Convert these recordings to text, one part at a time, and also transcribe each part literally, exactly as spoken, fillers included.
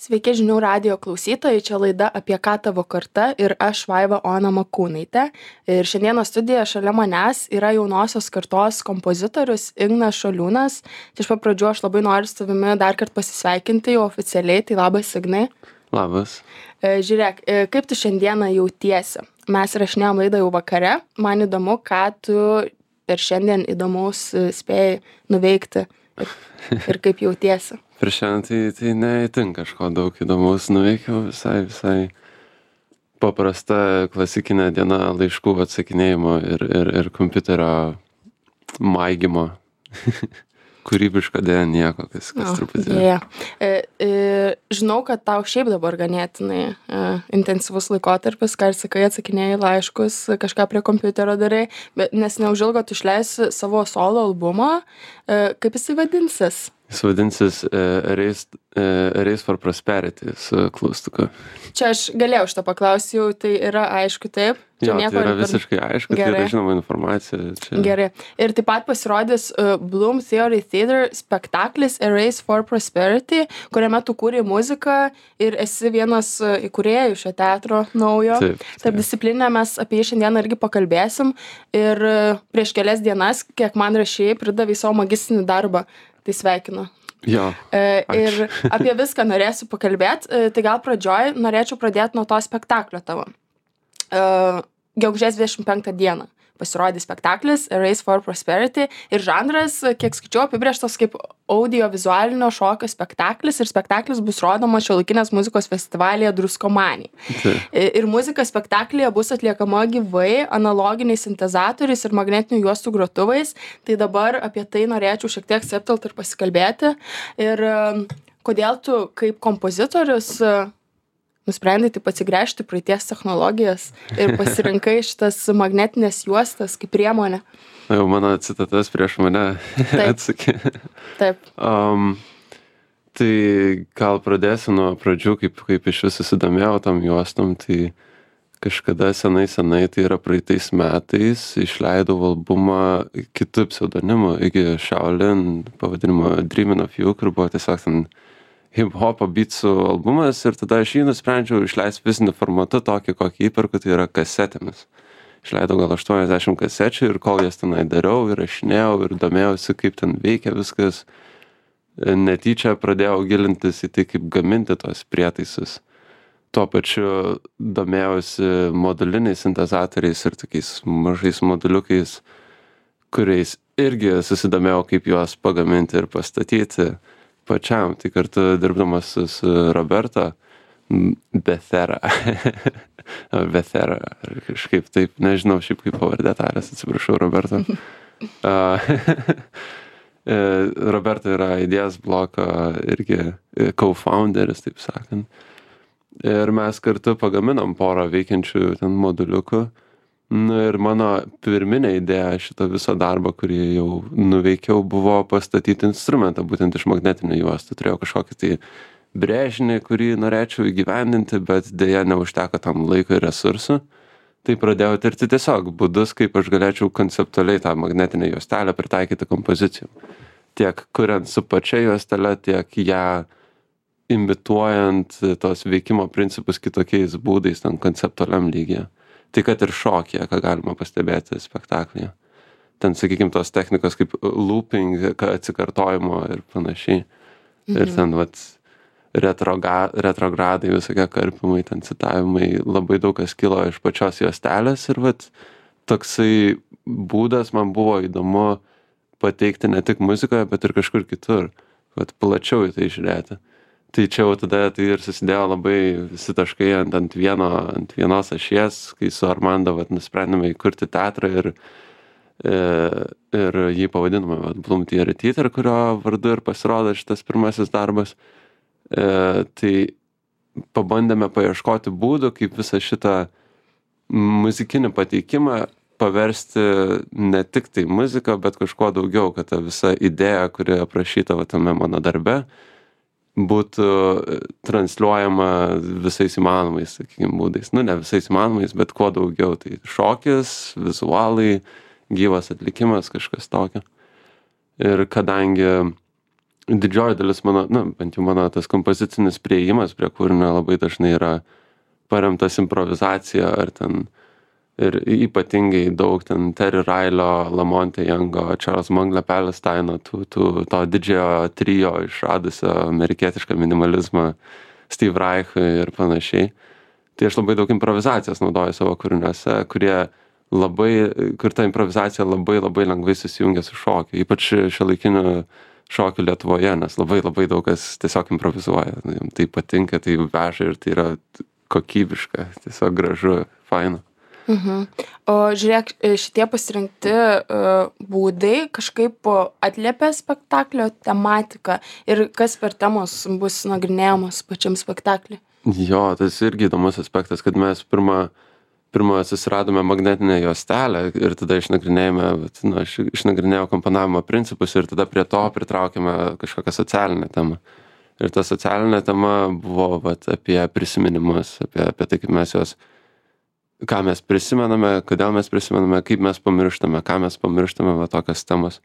Sveiki žinių radijo klausytojai, čia laida Apie ką tavo karta ir aš Vaiva Ona Makūnaitė. Ir šiandieną studijoje šalia manęs yra jaunosios kartos kompozitorius Ignas Šoliūnas. Tai iš pat pradžių aš labai noriu su tavimi dar kartą pasisveikinti jau oficialiai, tai labas Ignai. Labas. Žiūrėk, kaip tu šiandieną jautiesi? Mes rašinėjom laidą jau vakare, man įdomu, ką tu per šiandien įdomaus spėjai nuveikti ir, ir kaip jautiesi. Per šiandien tai, tai neįtin kažko daug įdomaus nuveikiau, visai, visai paprasta klasikinė diena laiškų atsakinėjimo ir, ir, ir kompiuterio maigymo. Kūrybiška dėja nieko, kas, kas O, truputį. dėja. E, e, žinau, kad tau šiaip dabar ganėtinai e, intensyvus laikotarpis, ką ir sakai, atsakinėjai laiškus, kažką prie kompiuterio darai, bet nes neužilgo tu išleisi savo solo albumą. E, kaip jisai vadinsis? Jis vadinsis uh, Race, uh, Race for Prosperity su klaustuku. Čia aš galėjau šitą paklausti, jau tai yra aišku, taip? Čia Jo, tai yra ir per- visiškai aišku, tai Gerai. yra žinoma informacija. Čia... Gerai. Ir taip pat pasirodys uh, Bloom Theory Theater spektaklis A Race for Prosperity, kuriame tu kūrei muziką ir esi vienas uh, įkūrėjų šio teatro naujo. Taip, Taip, taip. discipliną mes apie jį šiandien irgi pakalbėsim. Ir uh, prieš kelias dienas, kiek man rašėjai, pridavai savo magistrinį darbą. Tai sveikinu. Jo, E, ačiū. ir apie viską norėsiu pakalbėti. E, tai gal pradžioj norėčiau pradėti nuo to spektaklio tavo. E, gegužės dvidešimt penktą dieną pasirodys spektaklis A Race for Prosperity ir žanras, kiek skaičiau, apibrėžtas kaip audiovizualinio šokio spektaklis ir spektaklis bus rodomas Šiuolaikinės muzikos festivalyje Druskomanija. Taip. I- Ir muzika spektaklyje bus atliekama gyvai, analoginiais sintezatoriais ir magnetinių juostų grotuvais. Tai dabar apie tai norėčiau šiek tiek septelt ir pasikalbėti. Ir em, kodėl tu kaip kompozitorius e, nusprendai taip atsigręžti praeities technologijas ir pasirinkai šitas magnetinės juostas kaip priemonę? Na, jau mano citatas prieš mane Taip. atsakė. Taip. Um, tai gal pradėsiu nuo pradžių, kaip, kaip iš vis susidomėjau tam juostom, tai kažkada senai senai, tai yra praeitais metais, išleidau albumą kitų pseudonimų, iki Shaolin, pavadinimo Dreamin' of You, kur buvo tiesiog ten hip-hopo beatsų albumas ir tada aš jį nusprendžiau išleisti fiziniu formatu tokį, kokį įperku, tai yra kasetėmis. Išleidau gal aštuoniasdešimt kasečių ir kol jas tenai dariau ir rašinėjau ir domėjausi, kaip ten veikia viskas, netyčia pradėjau gilintis į tai, kaip gaminti tos prietaisus. Tuo pačiu domėjausi moduliniais sintezatoriais ir tokiais mažais moduliukais, kuriais irgi susidomėjau, kaip juos pagaminti ir pastatyti pačiam. Tai kartu dirbdamas su, su Roberta Bethera. Bethera, ar kažkaip taip, nežinau šiaip kaip pavardė tarės, atsiprašau Roberto. A, e, Roberta yra idėjas bloko irgi e, co-founderis, taip sakant. Ir mes kartu pagaminom porą veikiančių ten moduliukų. Nu, ir mano pirminė idėja šito viso darbo, kurį jau nuveikiau, buvo pastatyti instrumentą būtent iš magnetinių juostų. Turėjau kažkokį tai brėžinį, kurį norėčiau įgyvendinti, bet dėja neužteko tam laiko ir resursų. Tai pradėjau tirti tiesiog būdus, kaip aš galėčiau konceptualiai tą magnetinę juostelę pritaikyti kompozicijom. Tiek kuriant su pačia juostele, tiek ją imituojant tos veikimo principus kitokiais būdais, ten konceptualiam lygyje. Tai kad ir šokyje, ką galima pastebėti spektaklyje. Ten, sakykime, tos technikos kaip looping, atsikartojimo ir panašiai. Mhm. Ir ten, vat, retroga, retrogradai, visokie karpimai, ten citavimai, labai daug kas kilo iš pačios juostelės ir vat, toksai būdas man buvo įdomu pateikti ne tik muzikoje, bet ir kažkur kitur. Vat, plačiau į tai žiūrėti. Tai čia jau tada tai ir susidėjo labai visi taškai ant, ant, vieno, ant vienos ašies, kai su Armando vat, nusprendėme įkurti teatrą ir, e, ir jį pavadinome vat, Bloom Theory Theater, kurio vardu ir pasirodo šitas pirmasis darbas. E, tai pabandėme paieškoti būdų, kaip visą šitą muzikinį pateikimą paversti ne tik tai muziką, bet kažkuo daugiau, kad ta visa idėja, kuri aprašyta va, tame mano darbe, būtų transliuojama visais įmanomais, sakykime, būdais. Nu, ne visais įmanomais, bet kuo daugiau. Tai šokis, vizualai, gyvas atlikimas, kažkas tokio. Ir kadangi didžioji dalis mano, na, bent jau mano tas kompozicinis priėjimas prie kūrinio labai dažnai yra paremtas improvizacija ar ten ir ypatingai daug ten Terry Railio, Lamonte Youngo, Charles Mangle Palestino, tų, tų, to didžiojo trio išradusio amerikietišką minimalizmą, Steve Reich ir panašiai. Tai aš labai daug improvizacijos naudoju savo kūriniuose, kurie labai, kur ta improvizacija labai labai lengvai susijungia su šokiu, ypač šiuolaikiniu šokiu Lietuvoje, nes labai labai daug kas tiesiog improvizuoja. Tai patinka, tai veža ir tai yra kokybiška, tiesiog gražu, faina. Mhm. O žiūrėk, šitie pasirinkti uh, būdai kažkaip atliepia spektaklio tematiką ir kas per temos bus nagrinėjamos pačiam spektaklį? Jo, tas irgi įdomus aspektas, kad mes pirmą, pirmą susiradome magnetinę juostelę ir tada išnagrinėjome, nu, aš išnagrinėjau komponavimo principus ir tada prie to pritraukėme kažkokią socialinę temą. Ir ta socialinė tema buvo vat, apie prisiminimus, apie, apie tai, kaip mes juos ką mes prisimename, kodėl mes prisimename, kaip mes pamirštame, ką mes pamirštame, va tokios temos.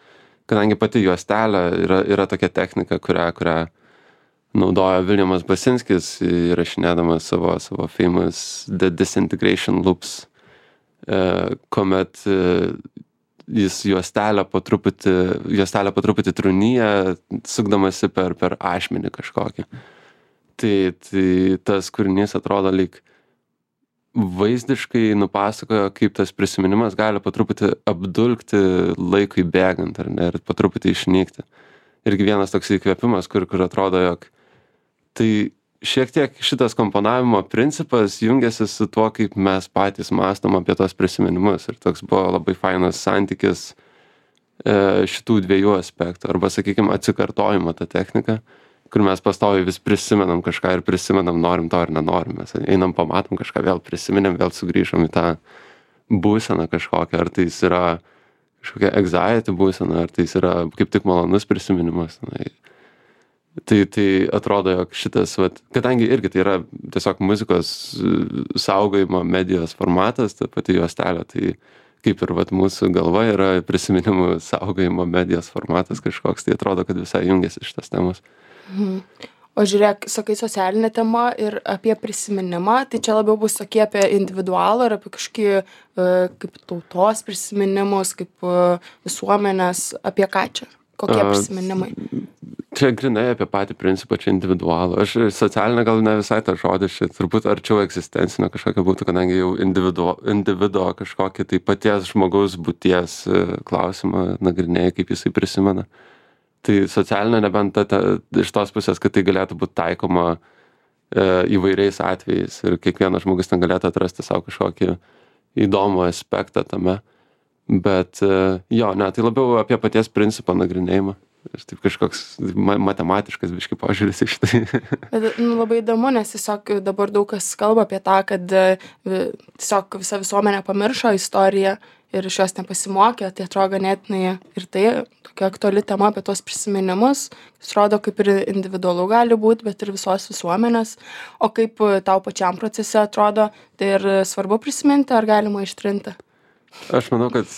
Kadangi pati juostelė yra, yra tokia technika, kurią, kurią naudoja Viljamas Basinskis, įrašinėdamas savo, savo famous The Disintegration Loops, e, kuomet e, jis juostelę po truputį, juostelę po truputį trūnyja, sukdamasi per, per ašmenį kažkokį. Tai, tai tas kūrinys atrodo lyg vaizdiškai nupasakojo, kaip tas prisiminimas gali po truputį apdulkti laikui bėgant, ar ne, ir po truputį išnykti. Irgi vienas toks įkvėpimas, kur, kur atrodo, jog tai šiek tiek šitas komponavimo principas jungiasi su tuo, kaip mes patys mąstom apie tos prisiminimus. Ir toks buvo labai fainas santykis e, šitų dviejų aspektų, arba, sakykime, atsikartojimo tą techniką, kur mes pastoviai vis prisimenam kažką ir prisimenam, norim to ar nenorim. Mes einam, pamatom kažką, vėl prisiminėm, vėl sugrįžom į tą būseną kažkokią, ar tai yra kažkokia anxiety būsena, ar tai yra kaip tik malonus prisiminimas. Tai, tai atrodo, jog šitas, vat, kadangi irgi tai yra tiesiog muzikos saugojimo medijos formatas, ta pati juostelė, tai kaip ir vat, mūsų galva yra prisiminimų saugojimo medijos formatas kažkoks, tai atrodo, kad visai jungiasi šitas temos. Mhm. O žiūrėk, sakai socialinė tema ir apie prisiminimą, tai čia labiau bus tokie apie individualą ir apie kažkokį e, kaip tautos prisiminimus, kaip e, visuomenės, apie ką čia, kokie A, prisiminimai? Čia grinai apie patį principą, čia individualų. Aš socialinė gal ne visai tą žodį, čia turbūt arčiau egzistencinio kažkokia būtų, kadangi jau individu, individuo kažkokį tai paties žmogaus būties klausimą nagrinėja, kaip jisai prisimena. Tai socialinė nebent ta, ta, iš tos pusės, kad tai galėtų būti taikoma e, įvairiais atvejais ir kiekvienas žmogus ten galėtų atrasti savo kažkokį įdomų aspektą tame. Bet e, jo, ne, tai labiau apie paties principą nagrinėjimą. Ir taip kažkoks ma matematiškas biškai požiūris iš tai. Bet, nu, labai įdomu, nes tiesiog dabar daug kas kalba apie tą, kad e, tiesiog visa visuomenė pamiršo istoriją ir iš jos nepasimokė, tai atrodo ganėtinai ir tai tokia aktuali tema apie tuos prisiminimus. Jis rodo, kaip ir individualu gali būti, bet ir visos visuomenės. O kaip tau pačiam procese atrodo, tai ir svarbu prisiminti, ar galima ištrinti? Aš manau, kad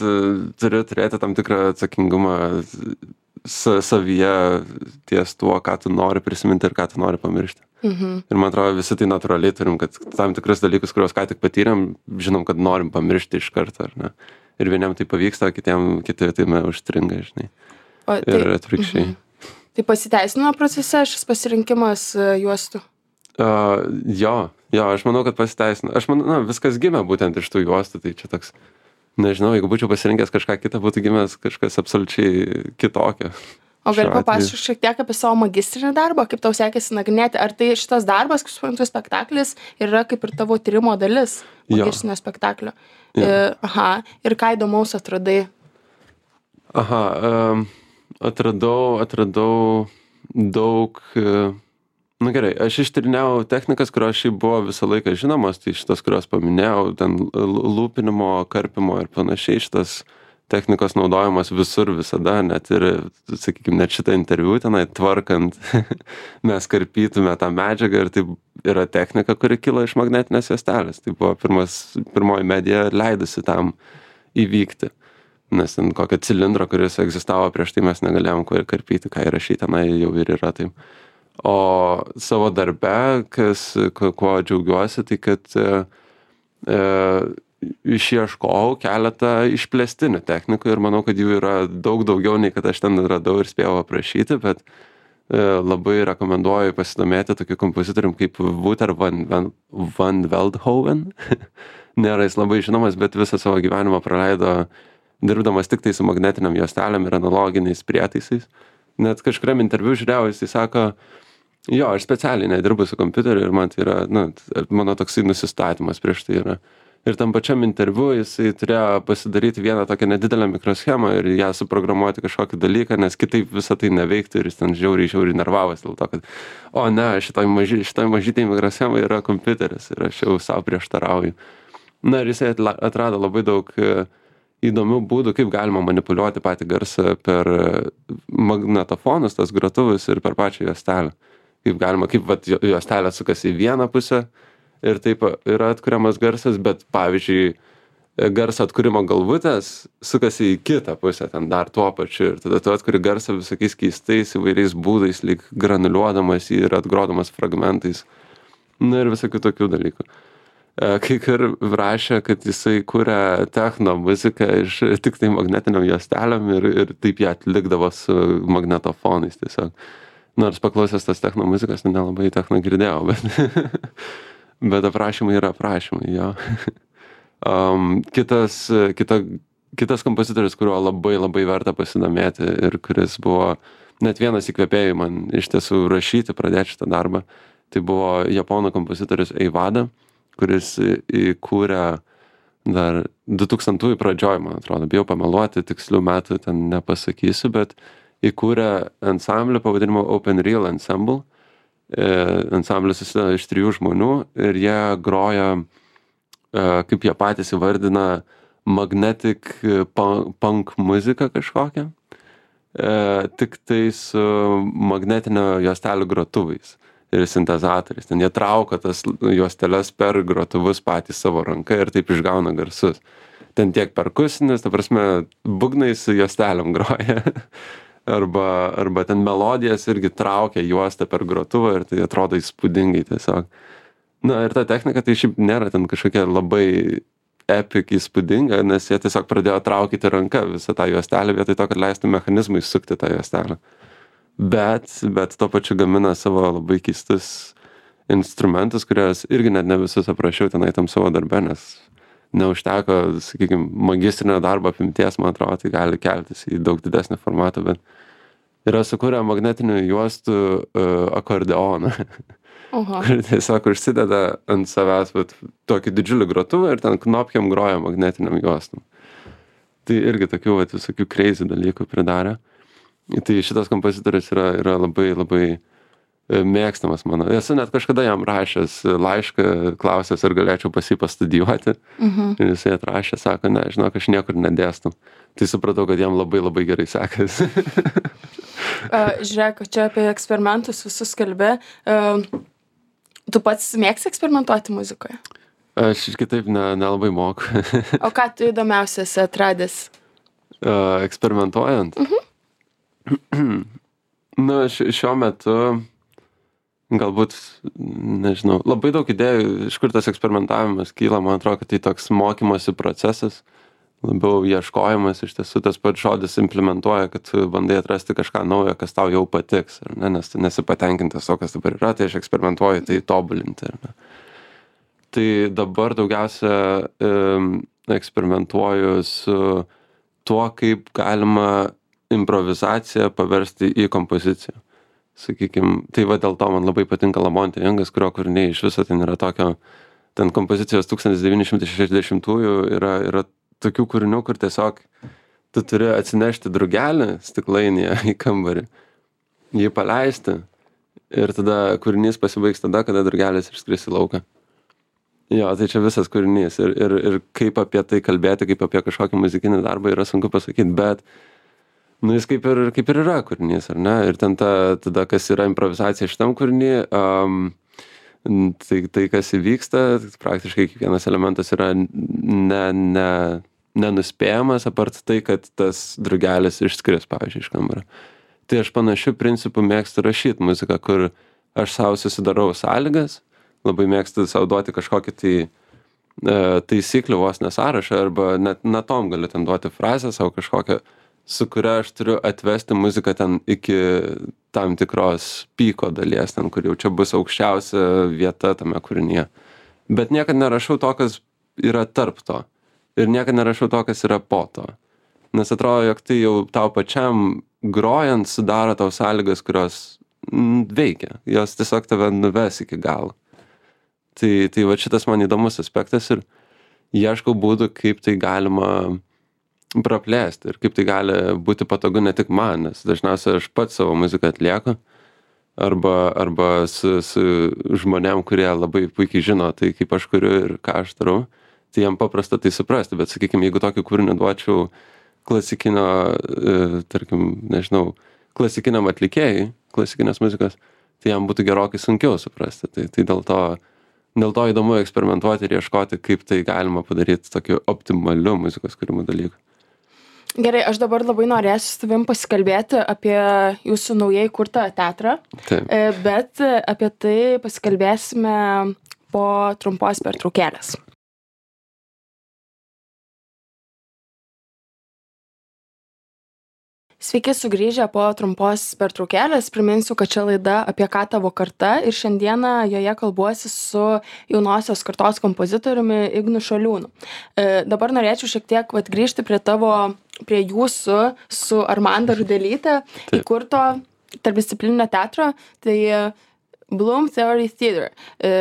turi turėti tam tikrą atsakingumą savyje ties tuo, ką tu nori prisiminti ir ką tu nori pamiršti. Mhm. Ir man atrodo, visi tai natūraliai turim, kad tam tikrus dalykus, kuriuos ką tik patyrėm, žinom, kad norim pamiršti iš karto, ar ne? Ir vieniem tai pavyksta, kitiem kiti tai me užstringa, žinai. O, tai, ir atvirkščiai. mhm. Tai pasiteisino procese šis pasirinkimas juostų? Uh, jo, jo, aš manau, kad pasiteisino. Aš manau, na, viskas gimė būtent iš tų juostų, tai čia toks, nežinau, jeigu būčiau pasirinkęs kažką kitą, būtų gimęs kažkas absoliučiai kitokio. O gali papasakoti šiek tiek apie savo magistrinį darbą, kaip tau sekėsi nagrinėti? Ar tai šitas darbas, kaip suprantu, spektaklis, yra kaip ir tavo tyrimo dalis magistrinio spektaklio? E, aha, ir ką įdomaus atradai? Aha, um, atradau, atradau daug, uh, nu gerai, aš ištyrinėjau technikas, kurios šiaip buvo visą laiką žinomos, tai šitas, kurios paminėjau, ten lūpinimo, karpimo ir panašiai, šitas technikos naudojamas visur visada, net ir, sakykime, net šitą interviu tenai tvarkant, mes karpytume tą medžiagą ir tai yra technika, kuri kilo iš magnetinės juostelės. Tai buvo pirmas, pirmoji medija leidusi tam įvykti. nes ten kokio cilindro, kuris egzistavo prieš tai mes negalėjom kuo ir karpyti, ką įrašyti, tenai jau ir yra taip. O savo darbe, kas, kuo džiaugiuosi, tai kad e, e, išieškojau keletą išplėstinių technikų ir manau, kad jų yra daug daugiau nei kad aš ten radau ir spėjau aprašyti, bet e, labai rekomenduoju pasidomėti tokiu kompozitorium kaip Wouter van, van, van Veldhoven. Nėra jis labai žinomas, bet visą savo gyvenimą praleido dirbdamas tik tai su magnetiniam juostelėm ir analoginiais prietaisais. Net kažkuriam interviu žiūrėjau, jis sako, jo, aš specialiai nedirbu su kompiuteriu ir man tai yra, nu, mano toksai nusistatymas prieš tai yra. Ir tam pačiam interviu jisai turėjo pasidaryti vieną tokią nedidelę mikroschemą ir ją suprogramuoti kažkokį dalyką, nes kitaip visą tai neveiktų ir jis ten žiauriai, žiauriai nervavosi dėl to, kad, o ne, šitoj, maži, šitoj mažytėj mikroschemai yra kompiuteris ir aš jau savo prieštarauju. Na ir jisai atrado labai daug įdomių būdų, kaip galima manipuliuoti patį garsą per magnetofonus, tas grotuvus ir per pačią juostelę. Kaip galima, kaip vat, juostelė sukasi į vieną pusę ir taip yra atkuriamas garsas, bet pavyzdžiui, garso atkūrimo galvutės sukasi į kitą pusę, ten dar tuo pačiu ir tada tu atkuri garsą visokiais keistais įvairiais būdais, lyg granuliuodamas jį ir atgrodamas fragmentais. Na ir visokių tokių dalykų. Kai ir rašė, kad jisai kūrė techno muziką iš tik tai magnetiniam juostelėm ir, ir taip ją atlikdavo su magnetofonais tiesiog. Nors paklausęs tas techno muzikos, nelabai techno girdėjau, bet, bet aprašymai yra aprašymai, jo. Um, kitas, kita, kitas kompozitorius, kuriuo labai labai verta pasidomėti ir kuris buvo net vienas įkvėpėjų man iš tiesų rašyti, pradėti šitą darbą, tai buvo japonų kompozitorius Eivada, kuris įkūrė dar du tūkstantųjų pradžioj, man atrodo, bijau pameluoti, tikslių metų ten nepasakysiu, bet įkūrė ansamblį pavadinimu Open Real Ensemble. Ansamblis susideda iš trijų žmonių ir jie groja, kaip jie patys įvardina, magnetic punk muziką kažkokią, tik tai su magnetinio juostelių grotuvais ir sintezatoriais. Ten jie traukia tas juosteles per grotuvus patys savo ranka ir taip išgauna garsus. Ten tiek perkusinis, ta prasme, būgnais su juostelėm groja. arba, arba ten melodijas irgi traukia juostą per grotuvą ir tai atrodo įspūdingai tiesiog. Na ir ta technika tai šiaip nėra ten kažkokia labai epic įspūdinga, nes jie tiesiog pradėjo traukyti ranką visą tą juostelę vietoj to, kad leistų mechanizmui sukti tą juostelę. Bet, bet tuo pačiu gamina savo labai keistus instrumentus, kuriuos irgi net ne visus aprašiau tenai tam savo darbe, nes neužteko, sakykime, magistrinio darbo apimties, man atrodo, tai gali keltis į daug didesnį formatą, bet yra sukūrę magnetinių juostų uh, akordeoną, kur tiesiog užsideda ant savęs vat, tokį didžiulį grotuvą ir ten knopkiam groja magnetiniam juostum. Tai irgi tokių vat, visokių crazy dalykų pridarė. Tai šitas kompozitorius yra, yra labai, labai mėgstamas mano. Esu net kažkada jam rašęs laišką, klausęs, ar galėčiau pas jį pastudijuoti. Mhm. Ir jisai atrašė, sako, ne, žinok, aš niekur nedėstu. Tai supratau, kad jam labai, labai gerai sekasi. uh, žiūrėk, čia apie eksperimentus visus kalbė. Uh, tu pats mėgsi eksperimentuoti muzikoje? Aš kitaip ne, nelabai moku. O ką tu įdomiausias atradęs? Uh, eksperimentuojant? Mhm. Na, šiuo metu galbūt, nežinau, labai daug idėjų, iš kur tas eksperimentavimas kyla, man atrodo, kad tai toks mokymosi procesas, labiau ieškojimas, iš tiesų tas pats žodis implementuoja, kad tu bandai atrasti kažką naujo, kas tau jau patiks, ar ne, nes tu nesi patenkintas to, kas dabar yra, tai aš eksperimentuoju, tai tobulinti, ar ne. Tai dabar daugiausia um, eksperimentuoju su tuo, kaip galima improvizaciją paversti į kompoziciją. Sakykim, tai va dėl to man labai patinka Lamonte Youngas, kurio kūriniai iš viso ten yra tokio, ten kompozicijos tūkstantis devyni šimtai šešiasdešimtųjų yra, yra tokių kūrinių, kur tiesiog tu turi atsinešti drugelį stiklainyje į kambarį, jį paleisti ir tada kūrinys pasibaigs tada, kada drugelis išskris į lauką. Jo, tai čia visas kūrinys ir, ir, ir kaip apie tai kalbėti, kaip apie kažkokį muzikinį darbą yra sunku pasakyti, bet nu, jis kaip ir, kaip ir yra kūrinys, ar ne? Ir ten ta, tada, kas yra improvizacija šitam kūrinį, um, tai, tai, kas įvyksta, praktiškai kiekvienas elementas yra ne, ne, nenuspėjamas, apart tai, kad tas drugelis išskris, pavyzdžiui, iš kambario. Tai aš panašių principų mėgstu rašyti muziką, kur aš savo susidarau sąlygas, labai mėgstu savo duoti kažkokį tai e, taisyklių vos nesąrašą, arba net natom galiu ten duoti frazę savo kažkokią, su kuria aš turiu atvesti muziką ten iki tam tikros pyko dalies, ten, kur jau čia bus aukščiausia vieta tame kūrinyje. Bet niekad nerašau to, kas yra tarp to. Ir niekad nerašau to, kas yra po to. Nes atrodo, jog tai jau tau pačiam grojant sudaro tau sąlygas, kurios m, veikia. Jos tiesiog tave nuves iki galo. Tai, tai va šitas man įdomus aspektas ir ieškau būdų, kaip tai galima praplėsti ir kaip tai gali būti patogu ne tik man, nes dažniausiai aš pats savo muziką atlieku arba, arba su, su žmonėm, kurie labai puikiai žino tai, kaip aš kuriu ir ką aš darau, tai jam paprasta tai suprasti, bet sakykime, jeigu tokį kūrinį duočiau klasikinio, e, tarkim, nežinau, klasikiniam atlikėjai, klasikinės muzikos, tai jam būtų gerokai sunkiau suprasti. Tai, tai dėl to, dėl to įdomu eksperimentuoti ir ieškoti, kaip tai galima padaryti tokiu optimaliu muzikos kūrimo dalyku. Gerai, aš dabar labai norėsiu su tavim pasikalbėti apie jūsų naujai kurtą teatrą, Taip. bet apie tai pasikalbėsime po trumpos pertraukėlės. Sveiki sugrįžę po trumpos pertraukėlės. Priminsiu, kad čia laida Apie ką tavo karta ir šiandieną joje kalbuosi su jaunosios kartos kompozitoriumi Ignu Šoliūnu. E, dabar norėčiau šiek tiek vat, grįžti prie tavo, prie jūsų su Armanda Rudelyte įkurto tarpdisciplininio teatro, tai Bloom Theory Theater. E,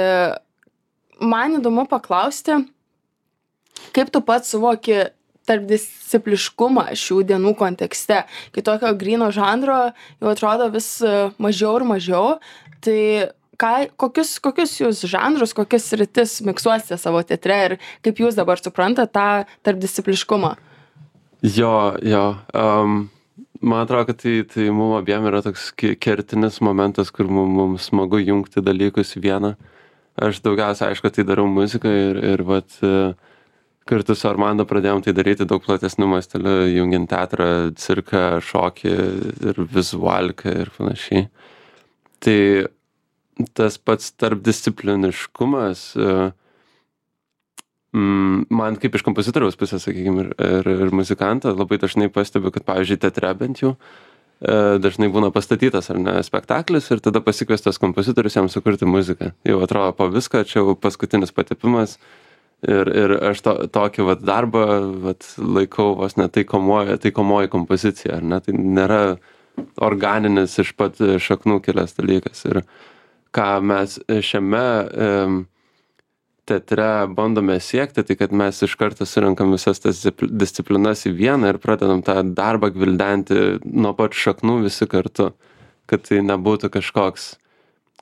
man įdomu paklausti, kaip tu pats suvoki tarpdiscipliškumą šių dienų kontekste, kai tokio gryno žanro jau atrodo vis mažiau ir mažiau, tai ką, kokius, kokius jūs žanrus, kokias sritis miksuosite savo teatre ir kaip jūs dabar suprantate tą tarpdiscipliškumą? Jo, jo. Um, man atrodo, kad tai, tai mums abiem yra toks kertinis momentas, kur mums, mums smagu jungti dalykus į vieną. Aš daugiausia, aišku, tai darau muziką ir, ir vat, kartu su Armanda pradėjom tai daryti daug platesniu masteliu, jungiant teatrą, cirką, šokį ir vizualiką ir panašiai. Tai tas pats tarpdiscipliniškumas man kaip iš kompozitoriaus pusės, sakykime, ir, ir, ir muzikanto labai dažnai pastebiu, kad, pavyzdžiui, teatre bent jau dažnai būna pastatytas ar ne spektaklis ir tada pasikviestas kompozitorius jam sukurti muziką. Jau atrodo po viską, čia jau paskutinis patepimas. Ir, ir aš to, tokį vat, darbą vat, laikau vos ne taikomoji, taikomoji kompozicija, ar ne? Tai nėra organinis iš pat šaknų kilęs dalykas. Ir ką mes šiame e, teatre bandome siekti, tai kad mes iš karto surenkam visas tas disciplinas į vieną ir pradedam tą darbą gvildenti nuo pat šaknų visi kartu. Kad tai nebūtų kažkoks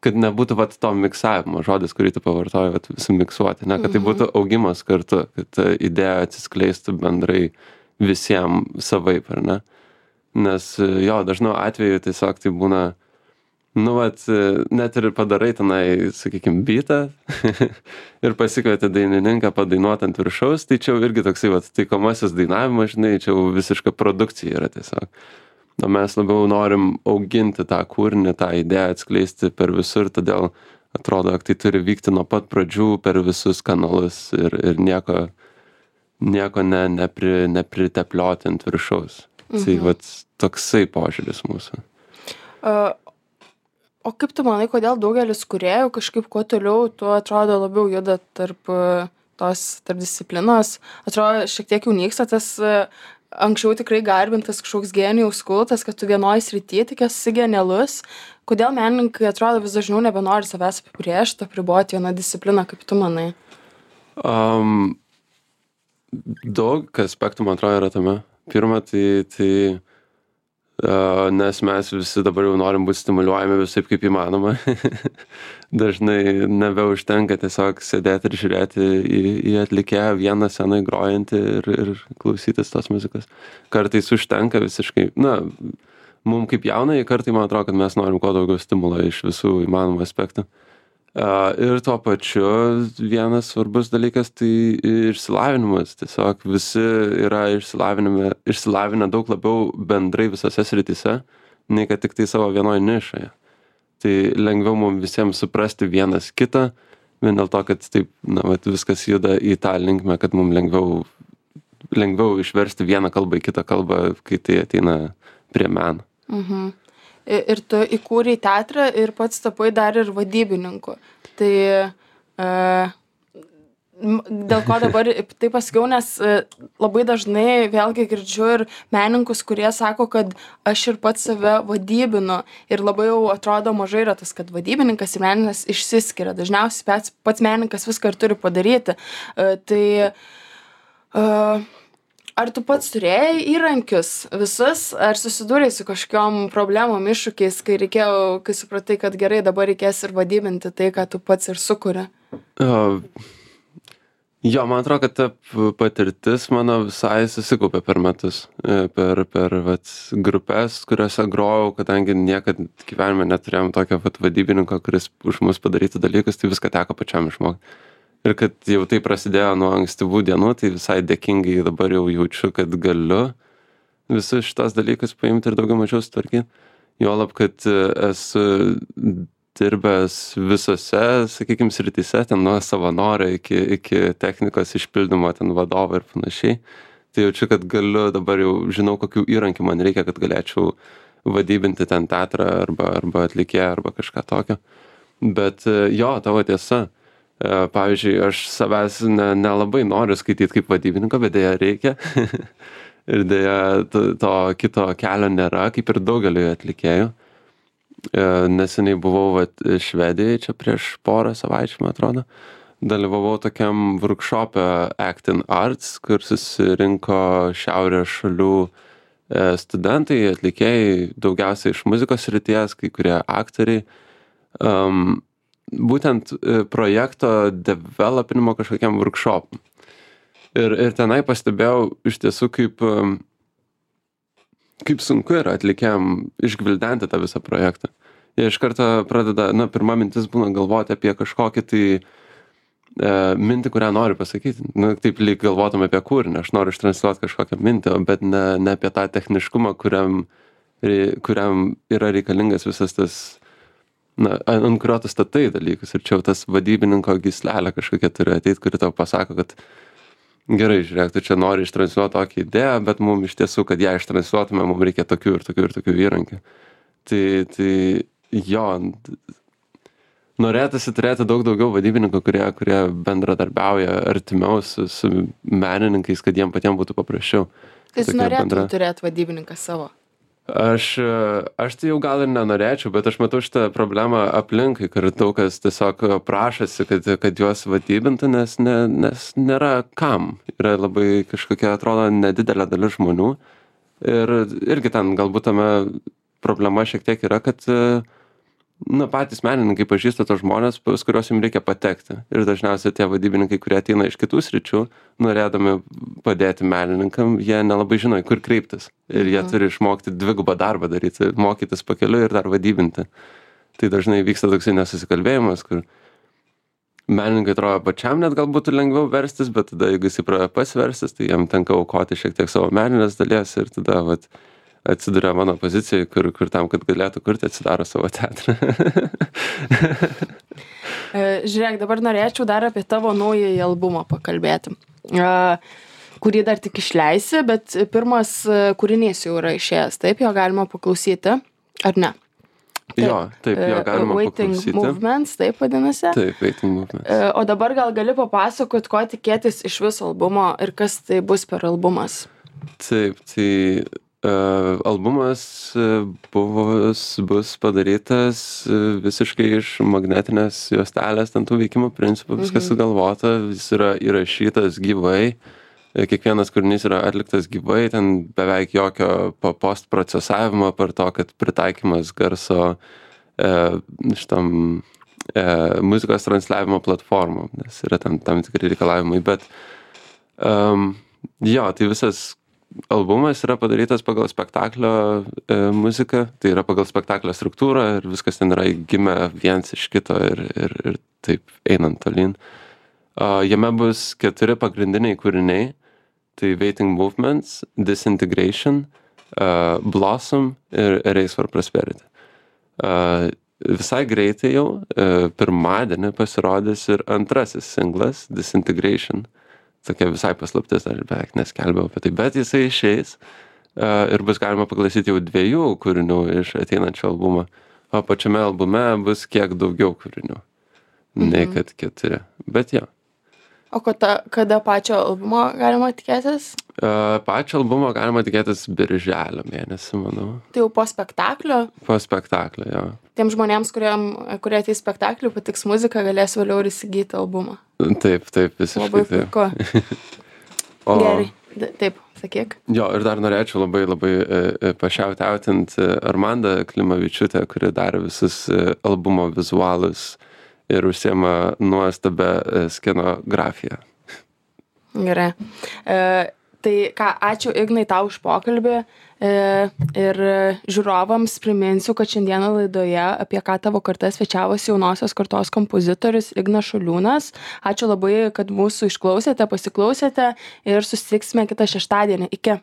kad nebūtų vat to miksavimo, žodis, kurį tu pavartoji, vat sumiksuoti, ne, kad tai būtų augimas kartu, kad ta idėja atsiskleistų bendrai visiems savaip, ar ne? Nes jo, dažnu atveju tiesiog tai būna, nu, vat, net ir padarai tenai, sakykime, beatą ir pasikvieti dainininką padainuot ant viršaus, tai čia jau irgi toksai, vat, taikomasis dainavimas, žinai, čia jau visiška produkcija yra tiesiog. O mes labiau norim auginti tą kūrinį, tą idėją atskleisti per visur, todėl atrodo, kad tai turi vykti nuo pat pradžių per visus kanalus ir, ir nieko, nieko ne, nepri, nepriteplioti ant viršaus. Mhm. Tai vat, toksai požiūris mūsų. Uh, o kaip tu manai, kodėl daugelis kūrėjų kažkaip kuo toliau, tuo atrodo labiau juda tarp uh, tos tarp disciplinos? Atrodo, šiek tiek jau nyksta tas uh, anksčiau tikrai garbintas kažkoks genijaus kultas, kad tu vienoj srity tik esi genialus. Kodėl menininkai atrodo vis dažniau nebenori savęs apibrėžti, apriboti vieną discipliną, kaip tu manai? Um, daug aspektų, man atrodo, yra tame. Pirma, tai, tai uh, nes mes visi dabar jau norim būti stimuliuojami visaip kaip įmanoma. Dažnai nebeužtenka tiesiog sėdėti ir žiūrėti į, į atlikėją vieną senai grojantį ir, ir klausytis tos muzikos. Kartais užtenka visiškai, na, mums kaip jaunai kartai, man atrodo, kad mes norim kuo daugiau stimulo iš visų įmanomų aspektų. Ir tuo pačiu vienas svarbus dalykas tai išsilavinimas. Tiesiog visi yra išsilavinę daug labiau bendrai visose srityse, nei kad tik tai savo vienoje nišoje. Tai lengviau mums visiems suprasti vienas kitą, vien dėl to, kad taip, na, vat, viskas juda į tą linkmę, kad mums lengviau, lengviau išversti vieną kalbą į kitą kalbą, kai tai ateina prie meno. Mhm. Ir tu įkūrei teatrą ir pats tapai dar ir vadybininku. Tai e, dėl ko dabar tai pasakiau, nes labai dažnai vėlgi girdžiu ir menininkus, kurie sako, kad aš ir pats save vadybinu. Ir labai jau atrodo mažai yra tas, kad vadybininkas ir menininkas išsiskiria. Dažniausiai pats, pats menininkas viską ir turi padaryti. E, tai... E, Ar tu pats turėjai įrankius visus, ar susidūrei su kažkokiom problemom, iššūkiais, kai reikėjo, kai supratai, kad gerai, dabar reikės ir vadybinti tai, ką tu pats ir sukuri? Uh, jo, man atrodo, kad ta patirtis mano visai susikaupė per metus, per, per vat, grupės, kuriuose grojau, kadangi niekad gyvenime neturėjom tokio vat, vadybininko, kuris už mus padarytų dalykus, tai viską teko pačiam išmokti. Ir kad jau tai prasidėjo nuo ankstyvų dienų, tai visai dėkingai dabar jau jaučiu, kad galiu visus šitos dalykus paimti ir daugiau mažiau sutvarkyti. Juolab, kad esu dirbęs visose, sakykime, srityse, ten nuo savanorio iki, iki technikos išpildymo, ten vadovo ir panašiai. Tai jaučiu, kad galiu, dabar jau žinau, kokių įrankių man reikia, kad galėčiau vadybinti ten teatrą arba, arba atlikėją arba kažką tokio. Bet jo, tavo tiesa. Pavyzdžiui, aš savęs ne, nelabai noriu skaityti kaip vadybininko, bet dėja reikia. Ir dėja to, to kito kelio nėra, kaip ir daugeliui atlikėjų. Neseniai buvau vat, Švedijai, čia prieš porą savaičių, man atrodo. Dalyvavau tokiam workshop'e Acting Arts, kur susirinko šiaurės šalių studentai, atlikėjai, daugiausiai iš muzikos srities, kai kurie aktoriai. Um, būtent projekto developinimo kažkokiam workshop'ui. Ir, ir tenai pastebėjau iš tiesų, kaip, kaip sunku yra atlikėjam išgvildenti tą visą projektą. Jie iš karto pradeda, na, pirma mintis būna galvoti apie kažkokį tai e, mintį, kurią nori pasakyti. Na, taip lyg galvotum apie kūrinį, aš noriu ištransliuoti kažkokią mintį, bet ne, ne apie tą techniškumą, kuriam, kuriam yra reikalingas visas tas, na, ant kurio tu statai dalykus. Ir čia jau tas vadybininko gyslelė kažkokia turi ateiti, kuri tau pasako, kad gerai, žiūrėk, tu čia nori ištransliuoti tokią idėją, bet mums iš tiesų, kad ją ištransliuotume, mums reikia tokių ir tokių ir tokių įrankių. Tai, tai jo, norėtųsi turėti daug daugiau vadybininkų, kurie, kurie bendradarbiauja artimiau su, su menininkais, kad jiem patiems būtų paprasčiau. Tai tu norėtum bendra... turėti vadybininką savo? Aš, aš tai jau gal ir nenorėčiau, bet aš matau šitą problemą aplinkai, kur daug kas tiesiog prašosi, kad, kad juos vadybintų, nes, ne, nes nėra kam. Yra labai kažkokia, atrodo, nedidelė dalis žmonių. Ir irgi ten galbūt tame problema šiek tiek yra, kad na, patys menininkai pažįsta tos žmonės, pas kuriuos jums reikia patekti. Ir dažniausiai tie vadybininkai, kurie ateina iš kitų sričių, norėdami padėti menininkam, jie nelabai žino, kur kreiptis. Ir jie mhm. turi išmokti dvigubą darbą daryti, mokytis pakeliui ir dar vadybinti. Tai dažnai vyksta toksai nesusikalbėjimas, kur menininkai atrodo pačiam net gal būtų lengviau verstis, bet tada, jeigu jis pradeda pats verstis, tai jam tenka aukoti šiek tiek savo meninės dalies ir tada, vat, atsiduria mano pozicijai, kur, kur tam, kad galėtų kurti, atsidaro savo teatrą. Žiūrėk, dabar norėčiau dar apie tavo naująjį albumą pakalbėti, kurį dar tik išleisi, bet pirmas kūrinys jau yra išėjęs, taip, jo galima paklausyti, ar ne? Taip, jo, taip, jo galima Waiting paklausyti. Movements, taip vadinasi? Taip, Waiting Movements. O dabar gal gali papasakot, ko tikėtis iš viso albumo ir kas tai bus per albumas? Taip, tai Uh, albumas uh, bus, bus padarytas uh, visiškai iš magnetinės juostelės, ten tų veikimo principų, viskas sugalvota, jis yra įrašytas gyvai, kiekvienas kūrinys yra atliktas gyvai, ten beveik jokio post procesavimo per to, kad pritaikymas garso uh, šitam uh, muzikos transliavimo platformom, nes yra tam, tam tikri reikalavimai, bet um, jo, tai visas albumas yra padarytas pagal spektaklio e, muziką, tai yra pagal spektaklio struktūrą ir viskas ten yra gimę viens iš kito ir, ir, ir taip einant tolyn. Uh, jame bus keturi pagrindiniai kūriniai, tai Waiting Movements, Disintegration, uh, Blossom ir Race for Prosperity. Uh, visai greitai jau, uh, pirmadienį pasirodys ir antrasis singlas, Disintegration. Tokia visai paslaptis, aš beveik neskelbiau apie tai, bet jisai išeis uh, ir bus galima paklausyti jau dviejų kūrinių iš ateinančio albumo, o pačiame albume bus kiek daugiau kūrinių, mhm. nei kad keturi, bet jo. O kada, kada pačio albumo galima tikėtis? Uh, pačio albumo galima tikėtis birželio mėnesį, manau. Tai jau po spektaklio? Po spektaklio, jo. Tiem žmonėms, kuriem, kurie ateis spektaklį, patiks muzika, galės vėliau ir įsigyti albumą. Taip, taip, visiškai. Labai puiku. O... Gerai, D taip, sakyk. Jo, ir dar norėčiau labai labai e, pašiautautint Armandą Klimavičiūtę, kuri darė visus e, albumo vizualus ir užsiema nuostabę e, skenografiją. Gerai. E, tai ką, ačiū Ignai tau už pokalbį. Ir žiūrovams priminsiu, kad šiandieną laidoje apie ką tavo karta svečiavosi jaunosios kartos kompozitorius Ignas Šuliūnas. Ačiū labai, kad mūsų išklausėte, pasiklausėte ir susitiksime kitą šeštadienį. Iki.